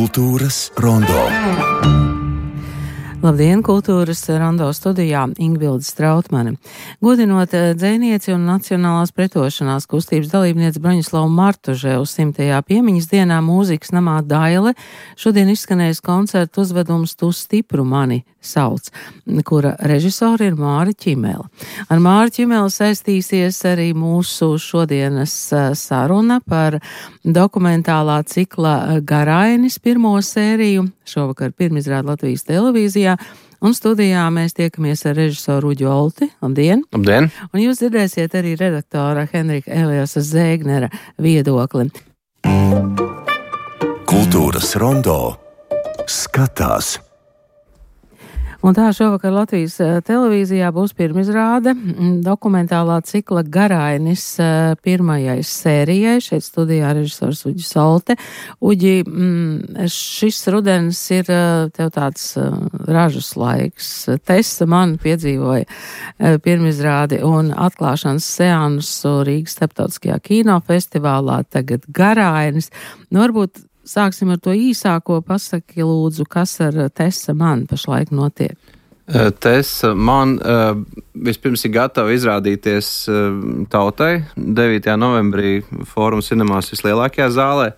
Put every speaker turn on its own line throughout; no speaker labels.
Kultūras rondo.
Labdien, kultūras rondo studijā Ingvilde Strautmane. Godinot dzejnieci un Nacionālās pretošanās kustības dalībnieci Broņislavu Martuževu 100. piemiņas dienā mūzikas namā Daile šodien izskanējis koncertu uzvedums Tu stipru mani sauc, kura režisori ir Māra Ķimele. Ar Māru Ķimeli saistīsies arī mūsu šodienas saruna par dokumentālā cikla Garainis pirmo sēriju, šovakar pirmizrāda Latvijas televīzijā, un studijā mēs tiekamies ar režisoru Uģi Olti. Labdien!
Labdien!
Un jūs dzirdēsiet arī redaktora Henrika Eliasa Zēgnera viedokli.
Kultūras rondo skatās.
Un tā šovakar Latvijas televīzijā būs pirmizrāde dokumentālā cikla Garainis pirmajai sērijai. Šeit studijā režisors Uģis Olte. Uģi, šis rudens ir tev tāds ražas laiks. Tessa man piedzīvoja pirmizrādi un atklāšanas seansu Rīgas starptautiskajā kinofestivālā, tagad Garainis. Varbūt sāksim ar to īsāko. Pasaki lūdzu, kas ar Tessa man pašlaik notiek?
Tessa man vispirms ir gatava izrādīties tautai 9. novembrī Fórum Cinemās vislielākajā zālē.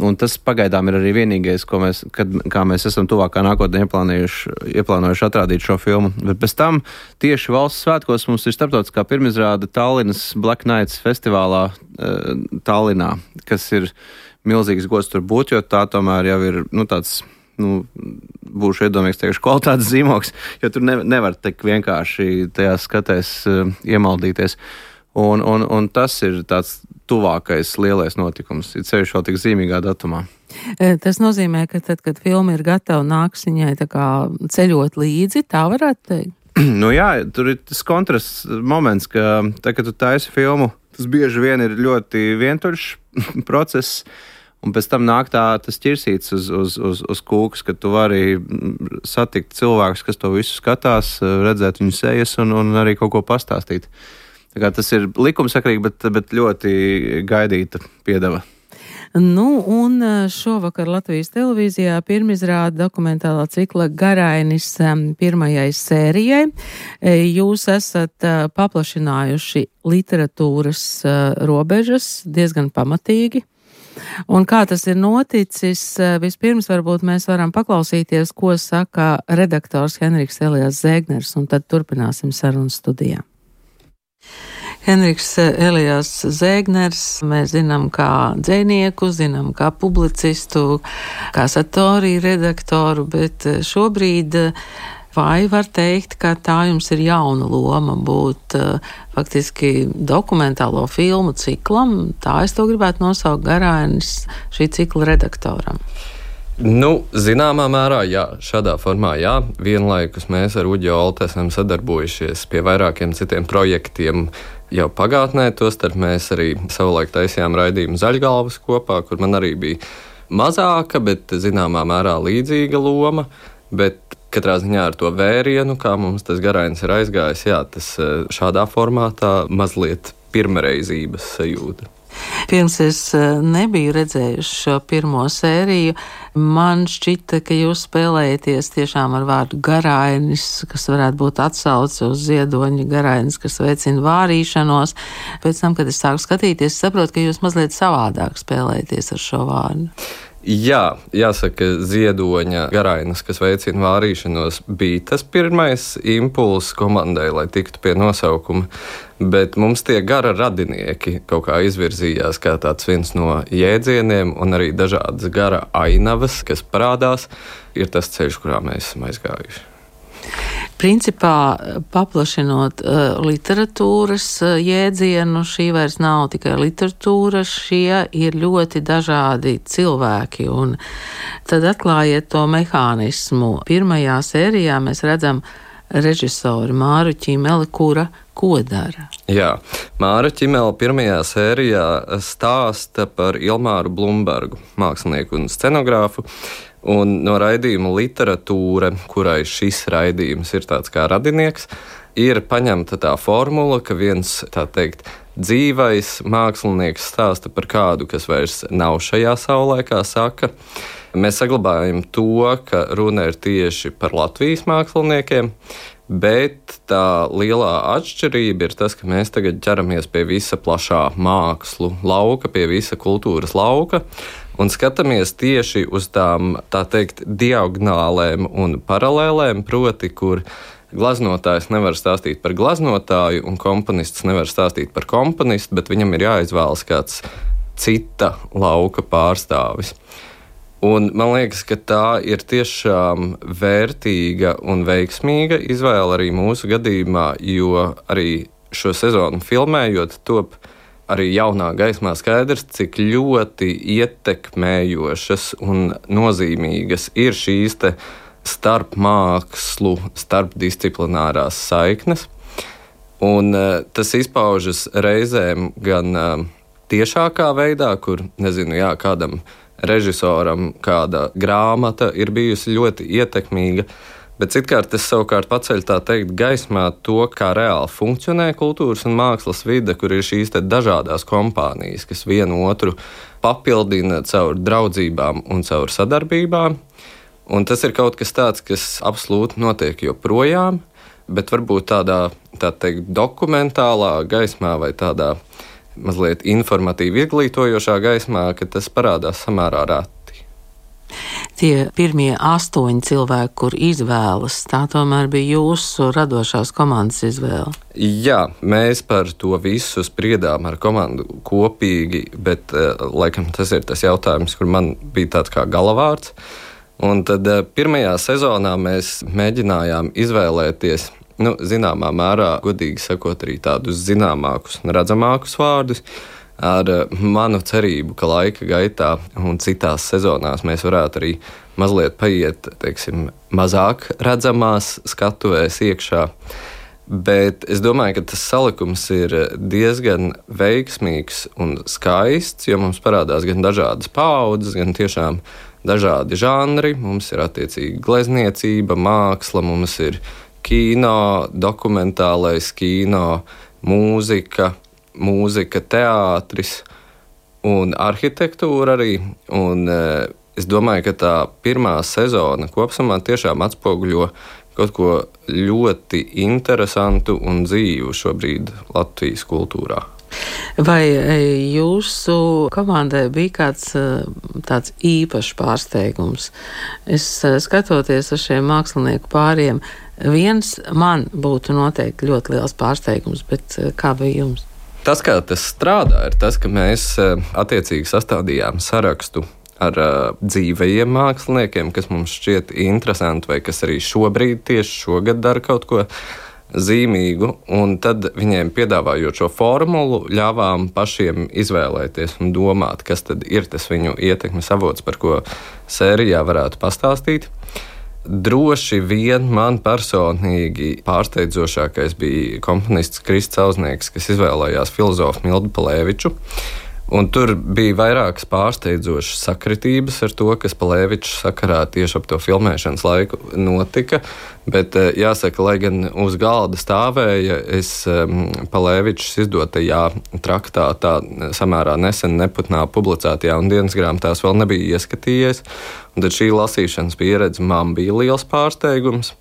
Un tas pagaidām ir arī vienīgais, kā mēs esam tuvākā nākotnē ieplānojuši atrādīt šo filmu. Bet pēc tam tieši valsts svētkos mums ir starptautiskā pirmizrāde Tallinas Black Nights festivālā Tallinā, kas ir milzīgs gods tur būt, jo tā tomēr jau ir tāds, būšu iedomīgs teikšu, kvalitātes zīmogs, jo tur nevar tik vienkārši tajās skatēs iemaldīties. Un tas ir tāds tuvākais lielais notikums, ir ceļš vēl tik zīmīgā datumā.
Tas nozīmē, ka tad, kad filma ir gatava, nāks viņai tā kā ceļot līdzi, tā varētu teikt?
Jā, tur ir tas kontrasts moments, ka tā, kad tu taisi filmu, tas bieži vien ir ļoti vientuļš process, un pēc tam nāk tas ķirsīts uz kūkas, ka tu vari satikt cilvēkus, kas to visu skatās, redzēt viņu sejas un arī kaut ko pastāstīt. Tā kā tas ir likumsakrīgi, bet ļoti gaidīta piedeva.
Un šovakar Latvijas televīzijā pirmizrāda dokumentālā cikla Garainis pirmajai sērijai. Jūs esat paplašinājuši literatūras robežas diezgan pamatīgi. Un kā tas ir noticis, vispirms varbūt mēs varam paklausīties, ko saka redaktors Henriks Elias Zēgners, un tad turpināsim sarunu studijā. Henriks Elias Zēgners, mēs zinām kā dzejnieku, zinām kā publicistu, kā satoriju redaktoru, bet šobrīd vai var teikt, ka tā jums ir jauna loma būt faktiski dokumentālo filmu ciklam? Tā es to gribētu nosaukt Garainis šī cikla redaktoram.
Zināmā mērā, jā, šādā formā, jā. Vienlaikus mēs ar Uģi Olti esam sadarbojušies pie vairākiem citiem projektiem jau pagātnē, tostarp mēs arī savulaik taisījām raidījumu Zaļgalvas kopā, kur man arī bija mazāka, bet zināmā mērā līdzīga loma, bet katrā ziņā ar to vērienu, kā mums tas Garainis ir aizgājis, jā, tas šādā formātā mazliet pirmreizības sajūta.
Pirms es nebiju redzējuši šo pirmo sēriju, man šķita, ka jūs spēlējaties tiešām ar vārdu Garainis, kas varētu būt atsauce uz ziedoņa Garainis, kas veicina vārīšanos. Pēc tam, kad es sāku skatīties, saprotu, ka jūs mazliet savādāk spēlējaties ar šo vārdu.
Jā, jāsaka, ziedoņa Garainis, kas veicina vārīšanos, bija tas pirmais impulss komandai, lai tiktu pie nosaukuma, bet mums tie gara radinieki kaut kā izvirzījās kā tāds viens no jēdzieniem, un arī dažādas gara ainavas, kas parādās, ir tas ceļš, kurā mēs esam aizgājuši.
Principā, paplašinot literatūras jēdzienu, šī vairs nav tikai literatūra, šie ir ļoti dažādi cilvēki. Un tad atklājiet to mehānismu. Pirmajā sērijā mēs redzam režisoru Māru Ķimeli, kura ko dara?
Jā, Māra Ķimele pirmajā sērijā stāsta par Ilmāru Blumbergu, mākslinieku un scenogrāfu. Un no raidījuma Literatūra, kurai šis raidījums ir tāds kā radinieks, ir paņemta tā formula, ka viens, tā teikt, dzīvais mākslinieks stāsta par kādu, kas vairs nav šajā saulē, kā saka. Mēs saglabājam to, ka runa ir tieši par Latvijas māksliniekiem, bet tā lielā atšķirība ir tas, ka mēs tagad ķeramies pie visa plašā mākslu lauka, pie visa kultūras lauka un skatāmies tieši uz tām, tā teikt, diagonālēm un paralēlēm, proti, kur glaznotājs nevar stāstīt par glaznotāju un komponists nevar stāstīt par komponistu, bet viņam ir jāizvēlas kāds cita lauka pārstāvis. Un man liekas, ka tā ir tiešām vērtīga un veiksmīga izvēle arī mūsu gadījumā, jo arī šo sezonu filmējot top arī jaunā gaismā skaidrs, cik ļoti ietekmējošas un nozīmīgas ir šīs te starp mākslu, starp disciplinārās saiknes. Un tas izpaužas reizēm gan tiešākā veidā, kur, kādam režisoram kāda grāmata ir bijusi ļoti ietekmīga, bet citkārt tas savukārt paceļ tā teikt gaismā to, kā reāli funkcionē kultūras un mākslas vide, kur ir šīs te dažādās kompānijas, kas vienu otru papildina caur draudzībām un caur sadarbībām. Un tas ir kaut kas tāds, kas absolūti notiek joprojām, bet varbūt tādā, tā teikt, dokumentālā gaismā vai tādā mazliet informatīvi izglītojošā gaismā, ka tas parādās samērā reti.
Tie pirmie 8 cilvēki, kur izvēlas, tā tomēr bija jūsu radošās komandas izvēle.
Jā, mēs par to visu spriedām ar komandu kopīgi, bet laikam tas ir tas jautājums, kur man bija tāds kā galavārds. Un tad pirmajā sezonā mēs mēģinājām izvēlēties, zināmā mērā, godīgi sakot, arī tādus zināmākus un redzamākus vārdus, ar manu cerību, ka laika gaitā un citās sezonās mēs varētu arī mazliet paiet, teiksim, mazāk redzamās skatuvēs iekšā. Bet es domāju, ka tas salikums ir diezgan veiksmīgs un skaists, jo mums parādās gan dažādas paaudzes, gan tiešām dažādi žanri. Mums ir attiecīgi glezniecība, māksla, mums ir kino, dokumentālais kino, mūzika, teātris un arhitektūra arī. Un es domāju, ka tā pirmā sezona kopsumā tiešām atspoguļo kaut ko ļoti interesantu un dzīvu šobrīd Latvijas kultūrā.
Vai jūsu komandai bija kāds tāds īpašs pārsteigums? Es skatoties uz šiem mākslinieku pāriem, viens man būtu noteikti ļoti liels pārsteigums, bet kā bija jums?
Tas, kā tas strādā, ir tas, ka mēs attiecīgi sastādījām sarakstu ar dzīvajiem māksliniekiem, kas mums šķiet interesanti vai kas arī šobrīd, tieši šogad dara kaut ko zīmīgu, un tad viņiem piedāvājot šo formulu, ļāvām pašiem izvēlēties un domāt, kas tad ir tas viņu ietekmes avots, par ko sērijā varētu pastāstīt. Droši vien man personīgi pārsteidzošākais bija komponists Krists Auznieks, kas izvēlējās filozofu Mildu Palēviču. Un tur bija vairākas pārsteidzošas sakritības ar to, kas Palēviča sakarā tieši ap to filmēšanas laiku notika. Bet jāsaka, lai gan uz galda stāvēja, es Palēvičas izdotajā traktātā samērā nesen neputnā publicētajā un dienas grāmatās vēl nebija ieskatījies. Un tad šī lasīšanas pieredze man bija liels pārsteigums.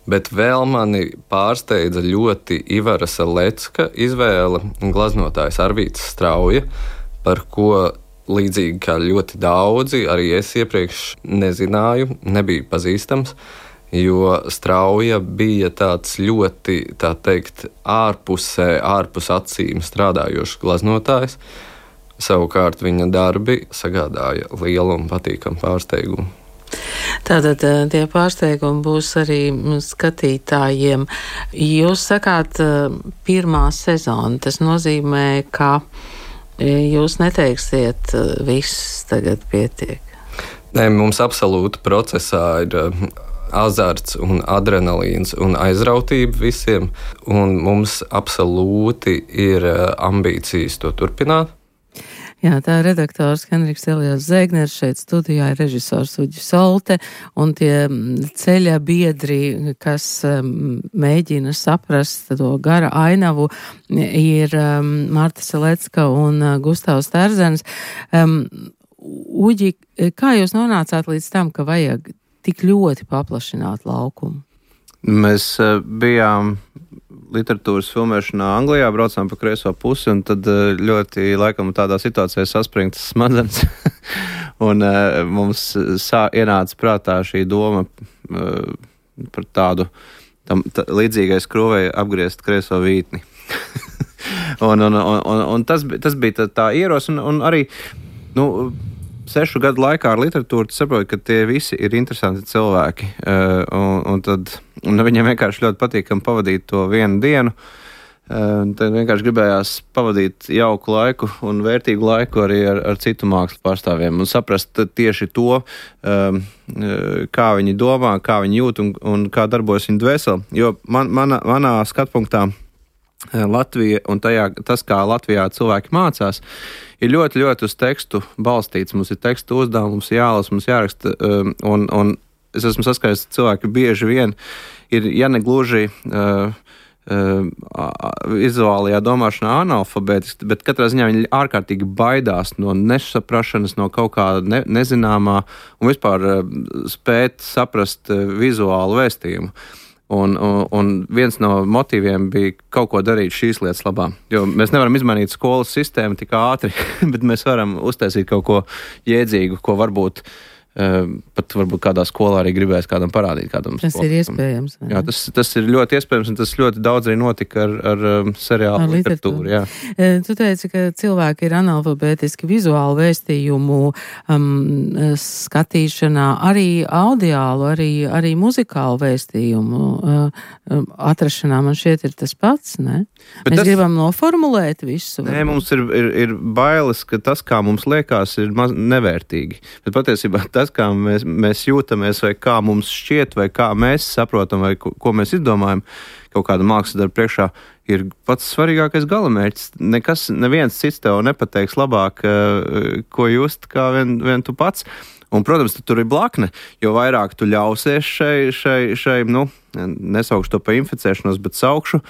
Bet vēl mani pārsteidza ļoti Ivara Salecka izvēle, glaznotājs Arvīts Strauja, par ko līdzīgi kā ļoti daudzi, arī es iepriekš nezināju, nebija pazīstams, jo Strauja bija tāds ļoti, tā teikt, ārpus acīm strādājošs glaznotājs. Savukārt viņa darbi sagādāja lielu un patīkamu pārsteigumu.
Tātad tie pārsteigumi būs arī skatītājiem. Jūs sakāt pirmā sezona, tas nozīmē, ka jūs neteiksiet viss tagad pietiek.
Nē, mums absolūti procesā ir azarts un adrenalīns un aizrautība visiem, un mums absolūti ir ambīcijas to turpināt.
Jā, tā redaktors Henriks Elijās Zēgners, šeit studijā ir režisors Uģis Solte, un tie ceļa biedri, kas mēģina saprast to gara ainavu, ir Marta Selecka un Gustavs Terzens. Uģi, kā jūs nonācāt līdz tam, ka vajag tik ļoti paplašināt laukumu?
Mēs bijām literatūras filmēšanā Anglijā, braucām pa kreiso pusi, un tad ļoti laikam tādā situācijā saspringtas smadzenes. Un mums ienāca prātā šī doma par tādu līdzīgai skrūvei apgriezt kreiso vītni. un tas bija tā ieros, un arī, 6 gadu laikā ar literatūru saprotu, ka tie visi ir interesanti cilvēki. Un viņiem vienkārši ļoti patīkami pavadīt to vienu dienu. Tad vienkārši gribējās pavadīt jauku laiku un vērtīgu laiku arī ar citu mākslu pārstāvjiem un saprast tieši to, kā viņi domā, kā viņi jūt un kā darbojas viņu dvēseli. Jo manā skatpunktā Latvija un tas, kā Latvijā cilvēki mācās, ir ļoti, ļoti uz tekstu balstīts. Mums ir tekstu uzdevumi, mums jālas, mums jāraksta, un es esmu saskaitis, ka cilvēki bieži vien ir, ja ne gluži vizuālajā domāšanā analfabētiski, bet katrā ziņā viņi ārkārtīgi baidās no nesaprašanas, no kaut kāda nezināmā un vispār spēt saprast vizuālu vēstījumu. Un viens no motīviem bija kaut ko darīt šīs lietas labā. Jo mēs nevaram izmainīt skolas sistēmu tik ātri, bet mēs varam uztaisīt kaut ko jēdzīgu, ko varbūt kādā skolā arī gribēs kādam parādīt.
Tas ir iespējams.
Jā, tas ir ļoti iespējams, un tas ļoti daudz arī notika ar seriālu literatūru. Jā.
Tu teici, ka cilvēki ir analfabētiski vizuālu vēstījumu skatīšanā, arī audiālu, arī muzikālu vēstījumu atrašanā. Man šķiet ir tas pats, ne? Mēs gribam noformulēt visu.
Nē, mums ir bailes, ka tas, kā mums liekas, ir nevērtīgi. Bet patiesībā tas, kā mēs jūtamies, vai kā mums šķiet, vai kā mēs saprotam, vai ko mēs izdomājam kaut kāda mākslas darba priekšā, ir pats svarīgākais galamērķis. Neviens cits tev nepateiks labāk, ko just, kā vien tu pats. Un, protams, tur ir blakne, jo vairāk tu ļausies šai nesaukšu to pa inficēšanos, bet saukšu,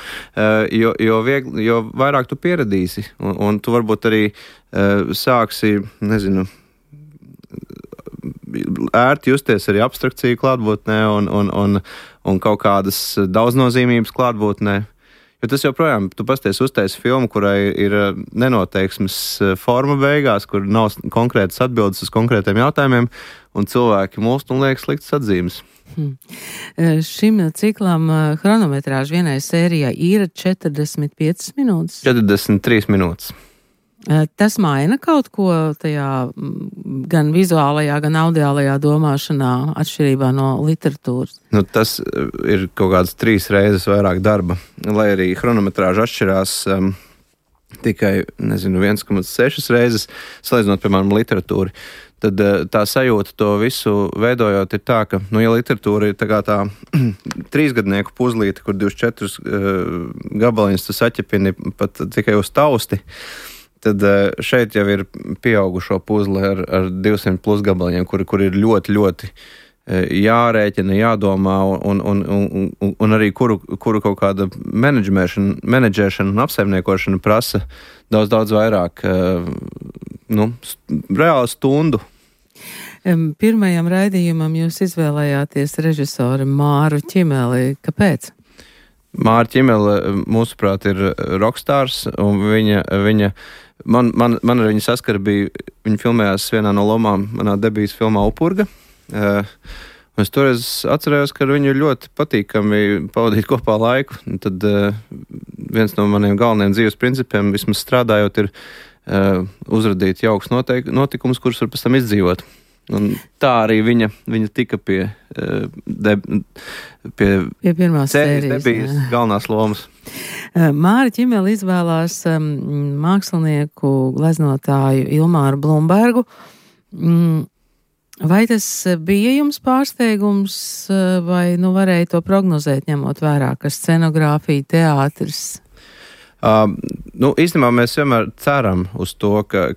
jo vairāk tu pieradīsi. Un tu varbūt arī sāksi, ērti justies arī abstrakciju klātbūtnē un kaut kādas daudznozīmības klātbūtnē. Jo tas joprojām, tu pasties uztaisi filmu, kurai ir nenoteiksmes forma beigās, kur nav konkrētas atbildes uz konkrētiem jautājumiem, un cilvēki mulst un liek sliktas atzīmes.
Šim ciklam chronometrāžu vienai sērijai ir 45 minūtes?
43 minūtes.
Tas maina kaut ko tajā gan vizuālajā, gan audiālajā domāšanā atšķirībā no literatūras?
Tas ir kaut kāds 3 reizes vairāk darba, lai arī chronometrāža atšķirās tikai, 1,6 reizes, salīdzinot, piemēram, literatūru. Tad tā sajūta to visu veidojot ir tā, ka, ja literatūra ir tā 3-gadnieku puzlīte, kur 24 gabaliņus tu saķepini pat tikai uz tausti, tad šeit jau ir pieaugušo puzle ar 200 plus gabaliņiem, kur ir ļoti, ļoti jārēķina, jādomā un arī kuru kaut kāda menedžēšana un apsaimniekošana prasa daudz vairāk reāli stundu.
Pirmajam raidījumam jūs izvēlējāties režisoru Māru Ķimeli. Kāpēc?
Māra Ķimele, mūsuprāt, ir rokstārs, un viņa man ar viņu saskara bija, viņa filmējās vienā no lomām manā debijas filmā Upurga. Un es toreiz atcerējos, ka ar viņu ļoti patīkami pavadīt kopā laiku. Un tad viens no maniem galvenajiem dzīves principiem, vismaz strādājot, ir uzradīt jauks notikumus, kurus var pēc tam izdzīvot. Un tā arī viņa tika pie
pirmās sērijas
debijas galvenās lomas.
Māra Ķimele izvēlās mākslinieku gleznotāju Ilmāru Blumbergu. Vai tas bija jums pārsteigums, vai varēja to prognozēt, ņemot vērā, ka scenogrāfija, teātris?
Īstenībā mēs vienmēr ceram uz to, ka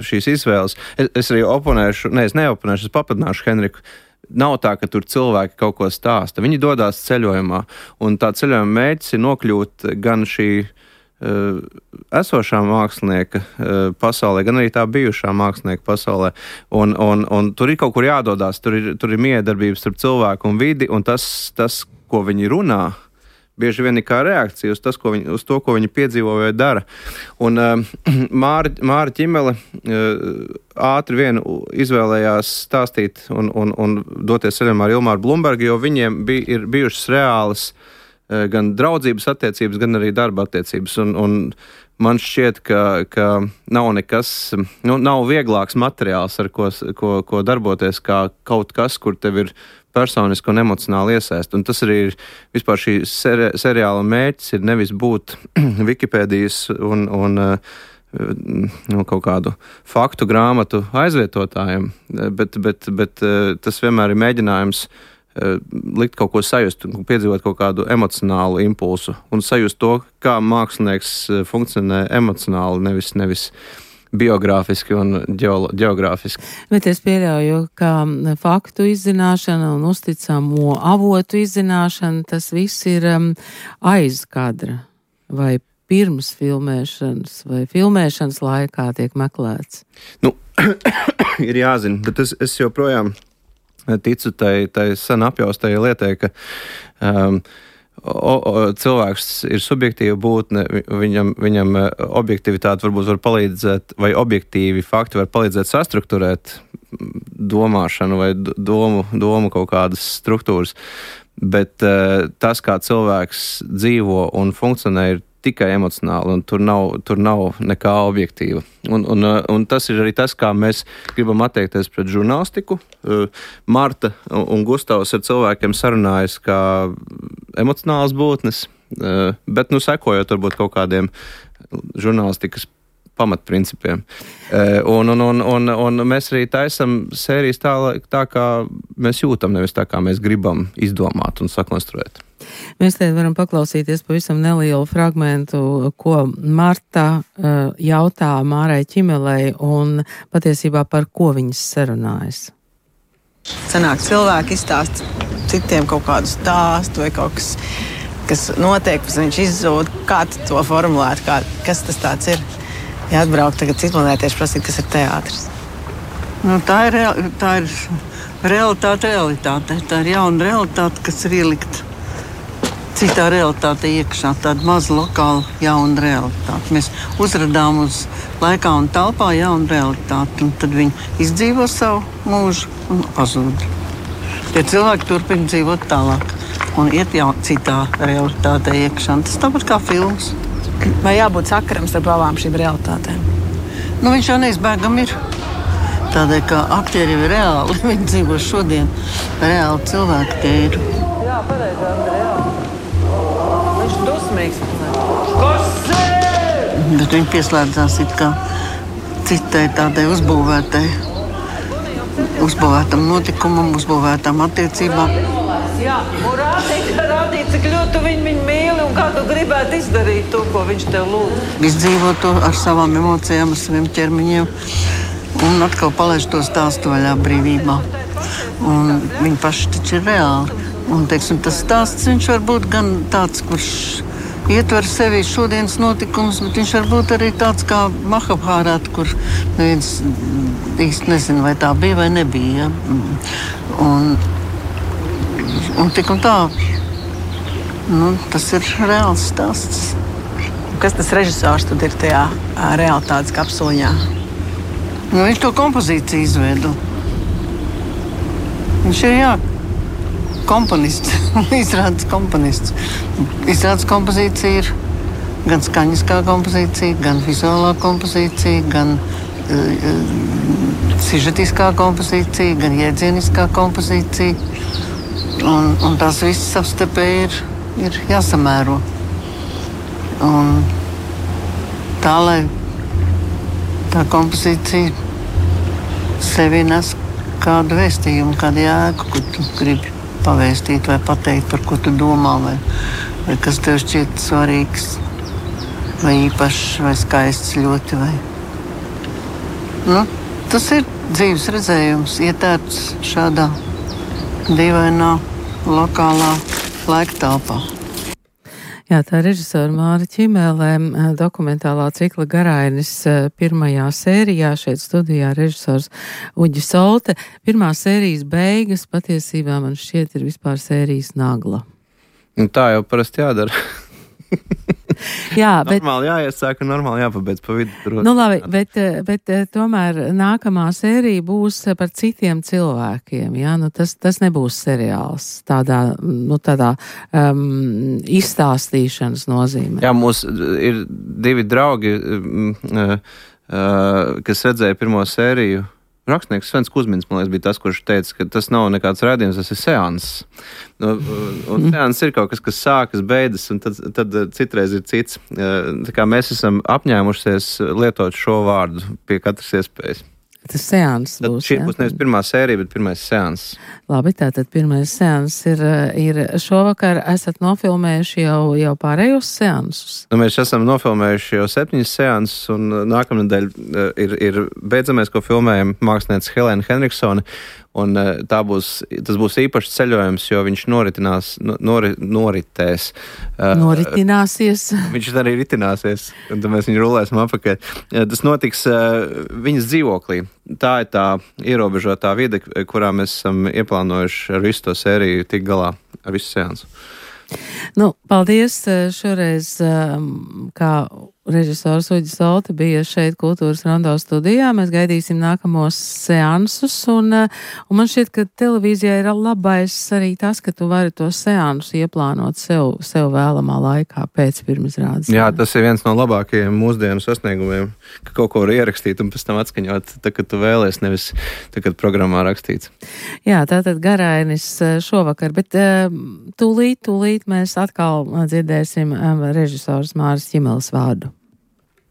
šīs izvēles, es arī es papadināšu Henriku, nav tā, ka tur cilvēki kaut ko stāsta. Viņi dodās ceļojumā, un tā ceļojuma mērķis ir nokļūt gan šī esošā mākslinieka pasaulē, gan arī tā bijušā mākslinieka pasaulē. Un tur ir kaut kur jādodās, tur ir miedarbības starp cilvēku un vidi, un tas, ko viņi runā, bieži vien ir kā reakcija uz to, ko viņi piedzīvo vai dara. Un Māra Ķimele ātri vien izvēlējās stāstīt un doties ceļojumā ar Ilmāru Blumbergu, jo viņiem ir bijušas reālas gan draudzības attiecības, gan arī darba attiecības. Un man šķiet, ka nav nekas, nav vieglāks materiāls, ar ko darboties, kā kaut kas, kur tev ir personiski un emocionāli iesaist. Un tas arī ir vispār šī seriāla mērķis, ir nevis būt Wikipēdijas un kaut kādu faktu grāmatu aizvietotājiem, bet tas vienmēr ir mēģinājums likt kaut ko sajust, piedzīvot kaut kādu emocionālu impulsu un sajust to, kā mākslinieks funkcionē emocionāli, nevis biogrāfiski un ģeogrāfiski.
Bet es pieļauju, ka faktu izzināšana un uzticamo avotu izzināšana, tas viss ir aiz kadra vai pirms filmēšanas vai filmēšanas laikā tiek meklēts.
Ir jāzina, bet es joprojām ticu tai sen apjaustajai lietai, ka cilvēks ir subjektīva būtne, viņam objektivitāte varbūt var palīdzēt, vai objektīvi fakti var palīdzēt sastrukturēt domāšanu vai domu kaut kādas struktūras, bet tas, kā cilvēks dzīvo un funkcionē, ir tikai emocionāli, un tur nav nekā objektīva. Un tas ir arī tas, kā mēs gribam attiekties pret žurnālistiku. Marta un Gustavs ar cilvēkiem sarunājas kā emocionālas būtnes, bet, sekojot varbūt kaut kādiem žurnālistikas pamatprincipiem. Un mēs arī taisam sērijas tā, kā mēs jūtam, nevis tā, kā mēs gribam izdomāt un sakonstruēt.
Mēs te varam paklausīties pavisam nelielu fragmentu, ko Marta jautā Mārai Ķimelei un patiesībā par ko viņas sarunājas.
Sanāk, cilvēki izstāst citiem kaut kādu stāstu vai kaut kas notiek, pēc viņš izzūd. Kā tu to formulēt? Kas tas tāds ir? Ja atbraukt tagad citplanētieši prasīt, kas ir teātris.
Tā ir realitāte. Tā ir jauna realitāte, kas ir ielikt citā realitāte iekšā, tāda maza lokāla jauna realitāte. Mēs uzradām uz laikā un telpā jaunu realitāti, un tad viņi izdzīvo savu mūžu un pazūd. Tie cilvēki turpina dzīvot tālāk un iet jau citā realitātē iekšā. Tas tāpat kā filmas.
Vai jābūt sakaram starp abām šīm realitātēm?
Viņš jau neizbēgam ir. Tādēļ, ka aktieri ir reāli, viņi dzīvo šodien. Reāli cilvēki tie ir.
Jā, pareizi, Andrejā. Viņš dusmīgs.
Bet viņi pieslēdzās it kā citai tādai uzbūvētam notikumam, uzbūvētām attiecībām.
Jā, un rādīt, cik ļoti viņi mīli un kā tu gribētu izdarīt to, ko viņš tev lūdz.
Izdzīvo to ar savām emocijām, ar saviem ķermeņiem un atkal palaiž to stāstu vaļā brīvībā. Un viņi paši taču ir reāli. Un, teiksim, tas stāsts viņš var būt gan tāds, kurš ietver sevi šodienas notikums, bet viņš var būt arī tāds kā Mahabhārāta, kur neviens īsti nezina, vai tā bija vai nebija. Ja? Un tik un tā, tas ir reāls stāsts.
Kas tas režisors tad ir tajā realitātes kapsuliņā?
Viņš to kompozīciju izveido. Viņš ir, komponists, izrādes komponists. Izrādes kompozīcija ir gan skaņiskā kompozīcija, gan vizuālā kompozīcija, gan sižetiskā kompozīcija, gan jēdzieniskā kompozīcija. Un tās visas savstarpēji ir jāsamēro. Un tā, lai tā kompozīcija sevi nes kādu vēstījumu, kādu jēgu, ko tu gribi pavēstīt vai pateikt, par ko tu domā, vai kas tev šķiet svarīgs. vai īpašs, vai skaists ļoti. Nu, tas ir dzīves redzējums, ietērts šādā dīvainā, lokālā laika telpā.
Jā, tā režisora Māra Ķimēlē dokumentālā cikla Garainis pirmajā sērijā šeit studijā režisors Uģis Olte. Pirmā sērijas beigas patiesībā man šķiet ir vispār sērijas nagla.
Un tā jau parasti jādara.
Jā, bet...
Normāli jāiesāk un normāli jāpabeidz pa vidu.
Nu labi, bet tomēr nākamā sērija būs par citiem cilvēkiem, jā? Nu tas nebūs seriāls tādā izstāstīšanas nozīmē.
Jā, mums ir divi draugi, kas redzēja pirmo sēriju. Rakstnieks Svens Kuzmins, man liekas, bija tas, kurš teica, ka tas nav nekāds rādījums, tas ir seanss. Un seanss ir kaut kas, kas sākas, beidzas, un tad citreiz ir cits. Tā kā mēs esam apņēmušies lietot šo vārdu pie katras iespējas.
Tas seanss būs,
šī būs nevis pirmā sērija, bet pirmais seanss.
Labi, tātad pirmais seanss ir šovakar. Esat nofilmējuši jau pārējos seansus?
Nu, mēs esam nofilmējuši jau 7 seansus, un nākamnedēļ ir beidzamais, ko filmējam mākslinieca Helēna Henriksone. Un tas būs īpašs ceļojums, jo viņš noritēs.
Noritināsies.
Viņš arī ritināsies, un tad mēs viņu rulēsim apakaļ. Tas notiks viņas dzīvoklī. Tā ir tā ierobežotā vide, kurā mēs esam ieplānojuši ar visu to sēriju tik galā, ar visu seansu.
Nu, paldies šoreiz, kā režisors Uģis Olte bija šeit Kultūras Rondo studijā. Mēs gaidīsim nākamos seansus, un man šķiet, ka televīzijā ir labais arī tas, ka tu vari to seansu ieplānot sev vēlamā laikā pēc pirmizrādes.
Jā, tas ir viens no labākajiem mūsdienu sasniegumiem, ka kaut ko var ierakstīt un pēc tam atskaņot, tā, kad tu vēlies, nevis tā, kad programmā rakstīts.
Jā, tātad Garainis šovakar, bet tūlīt mēs atkal dzirdēsim režisors Māras Ķimeles vārdu.